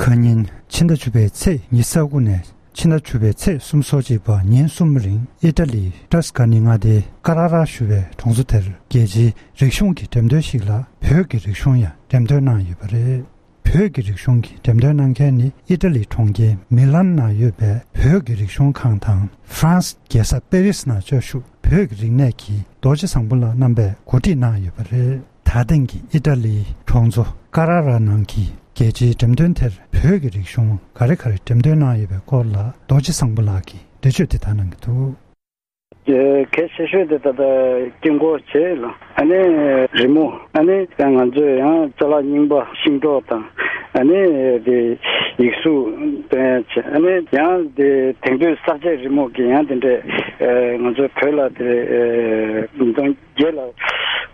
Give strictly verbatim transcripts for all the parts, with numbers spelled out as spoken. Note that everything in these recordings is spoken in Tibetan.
ཁ་ཉིན་ཕྱི་ཟླ་བཅུ་པའི་ཚེས་ཉི་ཤུ་རྩ་དགུ་ནས་ཕྱི་ཟླ་བཅུ་པའི་ཚེས་སོ་གཅིག་བར་ཉིན་གསུམ་རིང་ཨི་ཊ་ལིའི་ཏྲ་སི་ཀ་ནི་མངའ་སྡེའི་ཀ་ར་ར་ཞུ་བའི་གྲོང་ཚོ་དེར་རྒྱལ་སྤྱིའི་རིག་གཞུང་གི་འགྲེམས་སྟོན་ཞིག་ལ་བོད་ཀྱི་རིག་གཞུང་ཡང་འགྲེམས་སྟོན་གནང་ཡོད་པ་རེད། བོད་ཀྱི་རིག་གཞུང་གི་འགྲེམས་སྟོན་གནང་མཁན་ནི་ཨི་ཊ་ལིའི་གྲོང་ཁྱེར་མི་ལན་ནང་ཡོད་པའི་བོད་ཀྱི་རིག་གཞུང་ཁང་དང་ཧྥ་རན་སི་རྒྱལ་ས་པེ་རི་སི་ནང་བཅའ་བཞུགས་བོད་ཀྱི་རིག་གནས་ཀྱི་རྡོ་རྗེ་བཟང་པོ་ལགས་རྣམ་པས་གོ་སྒྲིག་གནང་ཡོད་པ་རེད། ད་ཐེངས་ཀྱི་ཨི་ཊ་ལིའི་གྲོང་ཚོ་ཀ་ར་ར་ནང་གི་རྒྱལ་སྤྱིའི་འགྲེམས་སྟོན་དེར་བོད་ཀྱི་རིག་གཞུང་ག་རེ་ག་རེ་འགྲེམས་སྟོན་གནང་ཡོད་པའི་སྐོར་ལ་རྡོ་རྗེ་བཟང་པོ་ལགས་ཀྱིས་འགྲེལ་བརྗོད་དེ་ལྟར་གནང་གི་འདུག། གལ་ཆེ་ཤོས་དེ་ད་ལྟ་དཀྱིལ་འཁོར་བྱས་ལ། ཨ་ནི་རི་མོ། ཨ་ནི་ཡང་ང་ཚོས་ཡང་ཅ་ལག་རྙིང་པ་ཤིང་ཏོག་དང་། ཨ་ནི་དེ་ཡིག་གཟུགས་སྟོན་ཡ་བྱས། ཨ་ནི་ཡང་དེ་དེང་དུས་གསར་བརྗེའི་རི་མོ་གི་ཡང་དེ་འདྲས་ང་ཚོའི་བོད་ལ་དེ་ཉིས་སྟོང་བརྒྱད་ལ་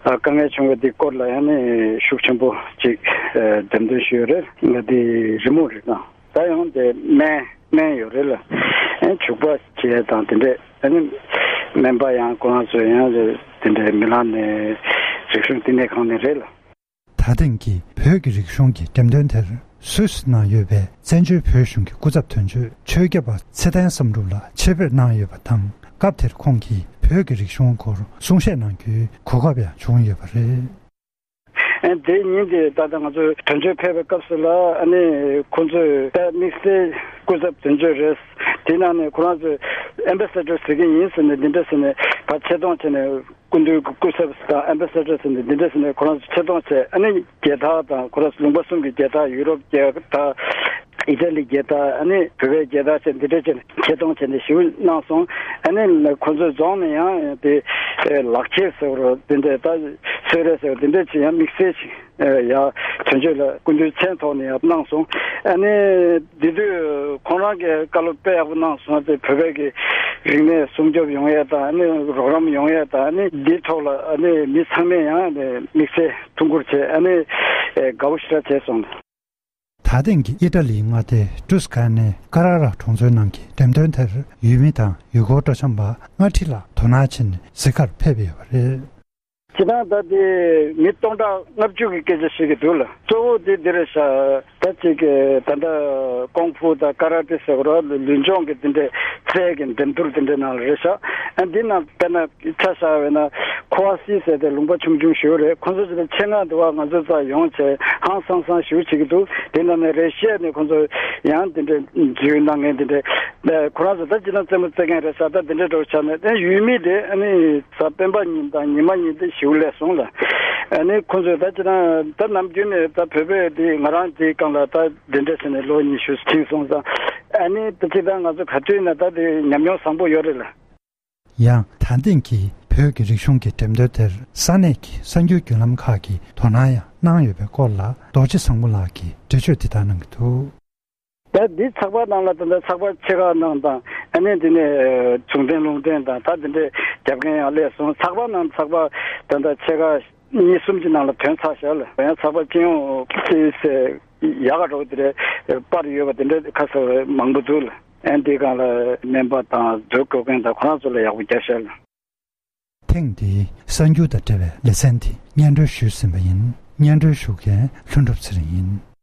དཀའ་ངལ་བྱུང་བའི་དེ་སྐོར་ལ་ཡང་ནི་ཤུགས་ཆེན་པོ་ཅིག་འགྲེམས་སྟོན་ཞུས་ཡོད་རེད། ང་དེ་རི་མོ་རེད་ན། ད་ཡང་དེ་སྨན་སྨན་ཡོད་རེད་ལ། ཨེ་བྱུག་པ་བྱས་དང་དེ་འདྲས། ཨ་ནི་སྨན་པ་ཡང་ཁོ་རང་ཚོ་ཡང་དེ་འདྲས་མི་ལ་ནས་རིག་གཞུང་བསྟི་གནས་ཁང་ནས་རེད་ལ། ད་ཐེངས་ཀྱི་བོད་ཀྱི་རིག་གཞུང་གི་འགྲེམས་སྟོན་དེར་སུད་སི་ནང་ཡོད་པའི་བཙན་བྱོལ་བོད་གཞུང་གི་སྐུ་ཚབ་དོན་གཅོད་ཆོས་སྐྱབས་པ་ཚེ་བརྟན་བསམ་གྲུབ་ལགས་ཆེད་ཕེབས་གནང་ཡོད་པ་དང་། སྐབས་དེར་ཁོང་གིས་བོད་ཀྱི་རིག་གཞུང་སྐོར་གསུང་བཤད་གནང་རྒྱུའི་གོ་སྐབས་ཡང་བྱུང་ཡོད་པ་རེད། ཨ་དེ་ཉིན་དེ་ད་ལྟ་ང་ཚོ་དོན་གཅོད་ཕེབས་པའི་སྐབས་སུ་ལ་ཨ་ནི་ཁོང་ཚོས་ད་དམིགས་བསལ་སྐུ་ཚབ་དོན་གཅོད་རེད། དེ་ནང་ནས་ཁོ་རང་ཚོས་ཨེམ་བྷེ་སེ་ཌར་ཟེར་གྱི་ཡིན་ཟེར་ནས་འདི་འདྲ་ཟེར་ནས་ཕར་ཆེ་མཐོང་བྱས་ནས་སྐུ་མདུན་གྱི་སྐུ་ཚབ་དང་ཨེམ་བྷེ་སེ་ཌར་ཟེར་ནས་འདི་འདྲ་ཟེར་ནས་ཁོ་རང་ཚོ་ཆེ་མཐོང་བྱས། ཨ་ནི་རྒྱལ་དར་དང་ཁོ་རང་ཚོ་ལུང་པ་གསུམ་གྱི་རྒྱལ་དར། ཡུ་རོབ་རྒྱལ་དར། ཨི་ཊ་ལི་རྒྱལ་དར། ཨ་ནི་བོད་པའི་རྒྱལ་དར་བཅས་འདི་འདྲ་བྱས་ནས་ཆེ་མཐོང་བྱས་ནས་ཞེ་པོ་གནང་སོང་། ཨ་ནི་ཁོ་ཚོའི་རྫོང་ནས་ཡང་དེ་ལག་འཁྱེར་ཟེར་བ་འདི་འདྲ་ད་གསོལ་རས་ཟེར་བ་འདི་འདྲ་བྱས་ཡང་དམིགས་བསལ་ཞིག་ཡ་དོན་གཅོད་ལ་སྐུ་མདུན་མཚན་ཐོག་ནས་ཡང་གནང་སོང་། ཨ་ནི་འདི་དུས་ཁོང་རང་གིས་བཀའ་སློབ་དཔེ་ཡག་པོ་གནང་སོང་། དེ་བོད་པའི་གི་རིག་གནས་སྲུང་སྐྱོབ་ཡོང་ཡས་དང་། ཨ་ནི་རོགས་རམ་ཡོང་ཡས་དང་། ཨ་ནི་འདིའི་ཐོག་ལ་ཨ་ནི་མི་ཚང་མས་ཡང་དམིགས་བསལ་ཐུགས་ཁུར་བྱས། ཨ་ནི་དགའ་པོ་ཞེ་དྲག་བྱས་སོང་། ད་ཐེངས་ཀྱི་ཨི་ཊ་ལིའི་མངའ་སྡེ་ཏྲུ་སི་ཀ་ནེ་ཀ་ར་ར་གྲོང་ཚོའི་ནང་གི་འགྲེམས་སྟོན་དེར་ཡུལ་མི་དང་ཡུལ་སྐོར་སྤྲོ་འཆམ་པ་ལྔ་ཁྲི་ལྷག་དོ་སྣང་བྱས་ནས་གཟིགས་གར་ཕེབས་ཡོད་པ་རེད། སྤྱིར་བཏང་ད་དེ་མི་སྟོང་ཕྲག་ལྔ་བཅུ་གི་སྐད་ཆ་བཤད་ཀྱི་འདུག་ལ། གཙོ་བོ་དེ་འདི་རེད་ཤག། ད་ཅིག་ད་ལྟ་ཀོང་ཕུ་དང་ཀ་ར་ཏེ་ཟེར་བ་ར་ལུས་སྦྱོང་གི་དེ་འདྲའི་རྩལ་གྱི་འགྲན་བསྡུར་དེ་འདྲའི་ནང་ལ་རེད་ཤག། ཨ་འདི་ནང་དཔེར་ན་ཆ་བཞག་པ་ན་ཁོ་ཨ་སི་ཟེར་ཏེ་ལུང་པ་ཆུང་ཆུང་ཞིག་རེད། ཁོ་ཚོ་ཅིག་ལ་ཆེད་མངགས་འདུག་བ། ང་ཚོ་རྩ་ཡོང་བྱས་ཧང་སང་སང་ཞིག་བྱེད་ཀྱི་འདུག། དེ་ནང་ནས་རེ་ཤི་ཡ་ནས་ཁོ་ཚོ་ཡང་དེ་འདྲའི་འཛུལ་གནང་མཁན་དེ་འདྲའི་ཁོ་རང་ཚོ་ད་ཅི་ན་རྩེད་མོ་རྩེ་མཁན་རེད་ཤག། ད་དེ་འདྲའི་འགྲོ་ཆ་ནས་ད་ཡུལ་མི་དེ་ཨ་ནི་གཟའ་སྤེན་པ་ཉིན་དང་ཉི་མ་ཉིན་དེ་ཞིག་སླེབས་སོང་ལ། ཨ་ནི་ཁོ་ཚོས་ད་ཅི་ན་ད་ནམ་རྒྱུན་ནས་ད་བོད་པས་དེ་ང་རང་དེའི་སྒང་ལ་ད་དེ་འདྲ་བྱས་ནས་ལོ་ཉི་ཤུ་ཕྱིན་སོང་ཙང་། ཨ་ནི་ད་ཅི་ད་ང་ཚོ་ག་དུས་ན་ད་དེ་ཉམས་མྱོང་བཟང་པོ་ཡོད་རེད་ལ། ཡང་ད་ཐེངས་ཀྱི་བོད་ཀྱི་རིག་གཞུང་གི་འགྲེམས་སྟོན་དེར་ས་གནས་ཀྱི་གསར་འགྱུར་བརྒྱུད་ལམ་ཁག་གིས་དོ་སྣང་ཡང་གནང་ཡོད་པའི་སྐོར་ལ་རྡོ་རྗེ་བཟང་པོ་ལགས་ཀྱིས་འགྲེལ་བརྗོད་འདི་ལྟར་གནང་གི་འདུག། ད་འདི་ཚགས་པར་ནང་ལ་ད་ལྟ་ཚགས་པར་ཆེ་ཁག་ནང་དང་། ཨ་ནི་འདི་ནས་གཞུང་འབྲེལ་ལུང་འབྲེལ་དང་ད་འདི་འདྲའི་རྒྱབ་མཁན་ཡང་སླེབས་སོང་། ཚགས་པར་ནང་ཚགས་པར་ད་ལྟ་ཆེ་ཁག་གཉིས་གསུམ་གྱི་ནང་ལ་ཐོན་ཚར་ཤག་ལ། ཡང་ཚགས་པར་སྤྱི་ཡོངས་ཀྱི་ཡག་ག་འགྲོ་དེ་རེད། པར་ཡོད་པ་དེ་འདྲ་ཁ་གསལ་མང་པོ་འདུག་ལ། ཨ་འདི་སྒང་ལ་སྨན་པ་དང་མཛོད་བཀོད་མཁན་དང་ཁོ་རང་ཚོ་ལ་ཡག་པོ་རྒྱབ་ཤག་ལ། ཐེངས་འདིའི་གསར་འགྱུར་དང་འབྲེལ་བའི་ལེ་ཚན་འདི་སྙན་སྒྲོན་ཞུས་ཟིན་པ་ཡིན། སྙན་སྒྲོན་ཞུ་མཁན་ལྷུན་གྲུབ་ཚེ་རིང་ཡིན།